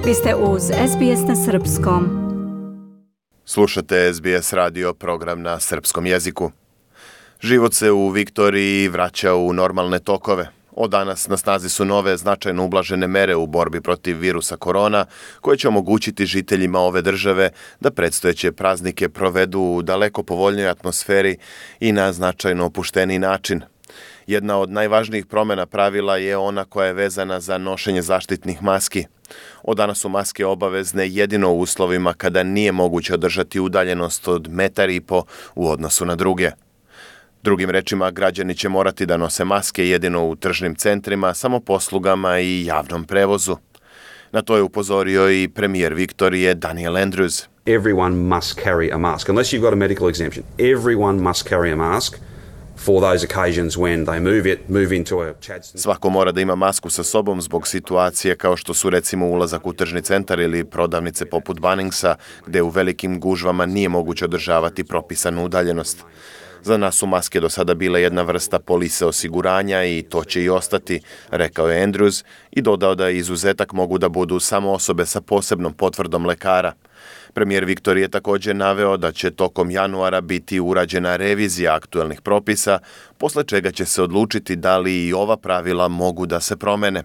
Vi ste uz SBS na Srpskom. Slušate SBS radio program na srpskom jeziku. Život se u Viktoriji vraća u normalne tokove. Od danas na snazi su nove značajno ublažene mere u borbi protiv virusa korona, koje će omogućiti žiteljima ove države da predstojeće praznike provedu u daleko povoljnijoj atmosferi i na značajno opušteniji način. Jedna od najvažnijih promjena pravila je ona koja je vezana za nošenje zaštitnih maski. Od danas su maske obavezne jedino u uslovima kada nije moguće održati udaljenost od 1,5 m u odnosu na druge. Drugim rečima, građani će morati da nose maske jedino u tržnim centrima, samoposlugama i javnom prevozu. Na to je upozorio i premijer Viktorije Daniel Andrews. Everyone must carry a mask. Unless you've got a medical exemption, everyone must carry a mask for those occasions when they move into a Chadstone. Svako mora da ima masku sa sobom zbog situacije kao što su recimo ulazak u tržni centar ili prodavnice poput Bunningsa, gde u velikim gužvama nije moguće održavati propisanu udaljenost. Za nas su maske do sada bile jedna vrsta polise osiguranja i to će i ostati, rekao je Andrews i dodao da izuzetak mogu da budu samo osobe sa posebnom potvrdom lekara. Premijer Viktorije je također naveo da će tokom januara biti urađena revizija aktuelnih propisa, posle čega će se odlučiti da li i ova pravila mogu da se promene.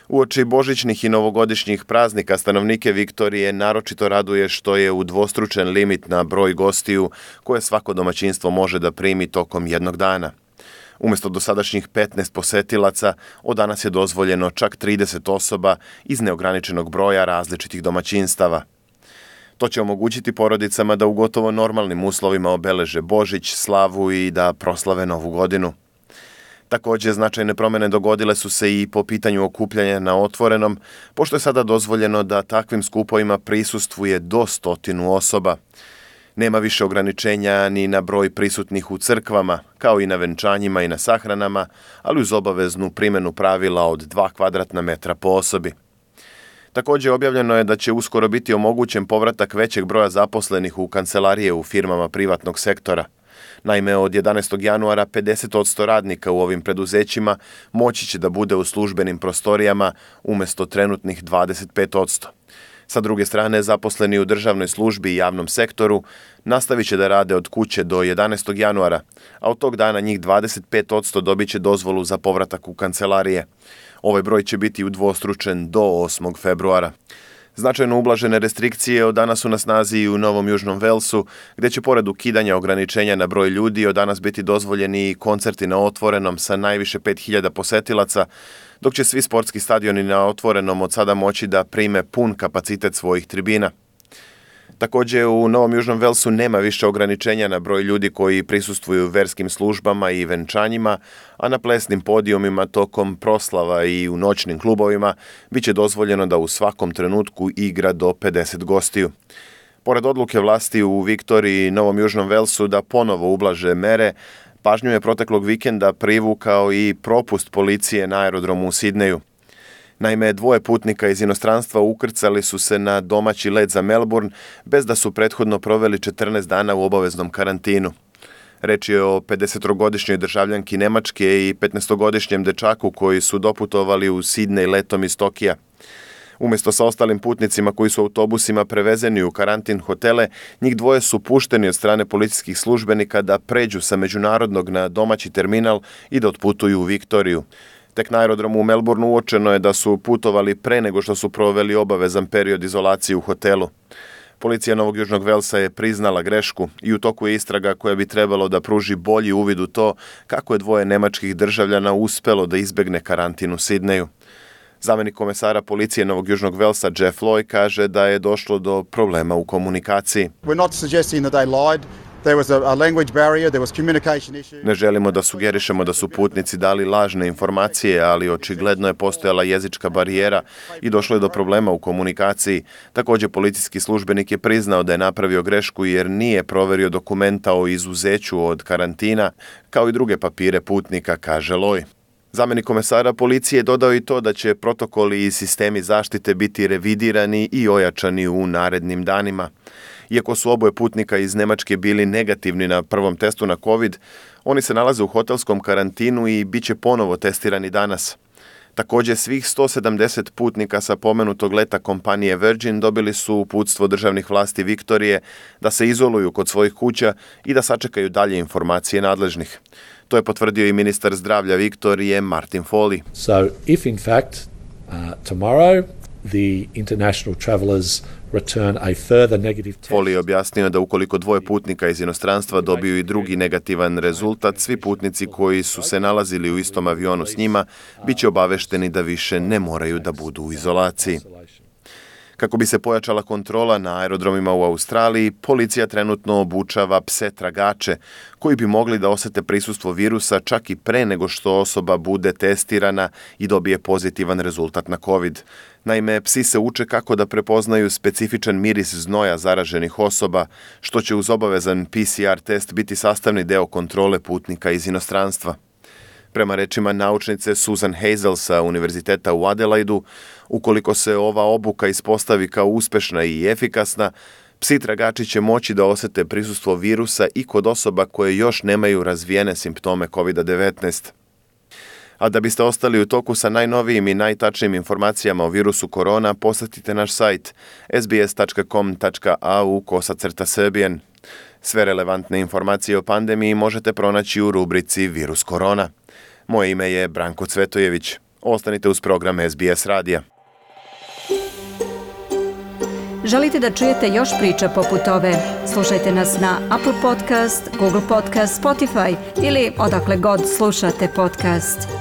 Uoči božićnih i novogodišnjih praznika stanovnike Viktorije naročito raduje što je udvostručen limit na broj gostiju koje svako domaćinstvo može da primi tokom jednog dana. Umjesto dosadašnjih 15 posetilaca, od danas je dozvoljeno čak 30 osoba iz neograničenog broja različitih domaćinstava. To će omogućiti porodicama da u gotovo normalnim uslovima obeleže Božić, slavu i da proslave Novu godinu. Također, značajne promjene dogodile su se i po pitanju okupljanja na otvorenom, pošto je sada dozvoljeno da takvim skupovima prisustvuje do 100 osoba. Nema više ograničenja ni na broj prisutnih u crkvama, kao i na venčanjima i na sahranama, ali uz obaveznu primjenu pravila od 2 kvadratna metra po osobi. Također objavljeno je da će uskoro biti omogućen povratak većeg broja zaposlenih u kancelarije u firmama privatnog sektora. Naime, od 11. januara 50% radnika u ovim preduzećima moći će da bude u službenim prostorijama umjesto trenutnih 25%. Sa druge strane, zaposleni u državnoj službi i javnom sektoru nastavit će da rade od kuće do 11. januara, a od tog dana njih 25% dobit će dozvolu za povratak u kancelarije. Ovaj broj će biti udvostručen do 8. februara. Značajno ublažene restrikcije od danas su na snazi i u Novom Južnom Walesu, gdje će pored ukidanja ograničenja na broj ljudi od danas biti dozvoljeni i koncerti na otvorenom sa najviše 5000 posetilaca, dok će svi sportski stadioni na otvorenom od sada moći da prime pun kapacitet svojih tribina. Također, u Novom Južnom Walesu nema više ograničenja na broj ljudi koji prisustvuju verskim službama i venčanjima, a na plesnim podijumima tokom proslava i u noćnim klubovima bit će dozvoljeno da u svakom trenutku igra do 50 gostiju. Pored odluke vlasti u Viktoriji i Novom Južnom Walesu da ponovo ublaže mere, pažnju je proteklog vikenda privukao i propust policije na aerodromu u Sidneju. Naime, 2 putnika iz inostranstva ukrcali su se na domaći let za Melbourne bez da su prethodno proveli 14 dana u obaveznom karantinu. Reč je o 50-godišnjoj državljanki Nemačke i 15-godišnjem dečaku koji su doputovali u Sidnej letom iz Tokija. Umjesto sa ostalim putnicima koji su autobusima prevezeni u karantin hotele, njih 2 su pušteni od strane policijskih službenika da pređu sa međunarodnog na domaći terminal i da otputuju u Viktoriju. Tek na aerodromu u Melbourneu uočeno je da su putovali pre nego što su proveli obavezan period izolacije u hotelu. Policija Novog Južnog Walesa je priznala grešku i u toku je istraga koja bi trebalo da pruži bolji uvid u to kako je 2 nemačkih državljana uspelo da izbegne karantin u Sidneju. Zamjenik komesara policije Novog Južnog Walesa Jeff Loy kaže da je došlo do problema u komunikaciji. We're not suggesting that they lied. There was a language barrier, there was communication issue. Ne želimo da sugerišemo da su putnici dali lažne informacije, ali očigledno je postojala jezička barijera i došlo je do problema u komunikaciji. Također, policijski službenik je priznao da je napravio grešku jer nije proverio dokumenta o izuzeću od karantina, kao i druge papire putnika, kaže Loy. Zamjenik komesara policije dodao i to da će protokoli i sistemi zaštite biti revidirani i ojačani u narednim danima. Iako su oboje putnika iz Nemačke bili negativni na prvom testu na COVID, oni se nalaze u hotelskom karantinu i bit će ponovo testirani danas. Također, svih 170 putnika sa pomenutog leta kompanije Virgin dobili su uputstvo državnih vlasti Viktorije da se izoluju kod svojih kuća i da sačekaju dalje informacije nadležnih. To je potvrdio i ministar zdravlja Viktorije Martin Foley. So if in fact tomorrow the international travellers return a further negative test. Foley je objasnio da ukoliko dvoje putnika iz inostranstva dobiju i drugi negativan rezultat, svi putnici koji su se nalazili u istom avionu s njima bit će obavešteni da više ne moraju da budu u izolaciji. Kako bi se pojačala kontrola na aerodromima u Australiji, policija trenutno obučava pse tragače koji bi mogli da osete prisustvo virusa čak i pre nego što osoba bude testirana i dobije pozitivan rezultat na COVID. Naime, psi se uče kako da prepoznaju specifičan miris znoja zaraženih osoba, što će uz obavezan PCR test biti sastavni deo kontrole putnika iz inostranstva. Prema rečima naučnice Susan Hazel sa Univerziteta u Adelaidu, ukoliko se ova obuka ispostavi kao uspešna i efikasna, psi tragači će moći da osete prisustvo virusa i kod osoba koje još nemaju razvijene simptome COVID-19. A da biste ostali u toku sa najnovijim i najtačnijim informacijama o virusu korona, posjetite naš sajt sbs.com.au/Serbian. Sve relevantne informacije o pandemiji možete pronaći u rubrici Virus korona. Moje ime je Branko Cvetojević. Ostanite uz program SBS radija. Želite da čujete još priča poput ove? Slušajte nas na Apple Podcast, Google Podcast, Spotify ili odakle god slušate podcast.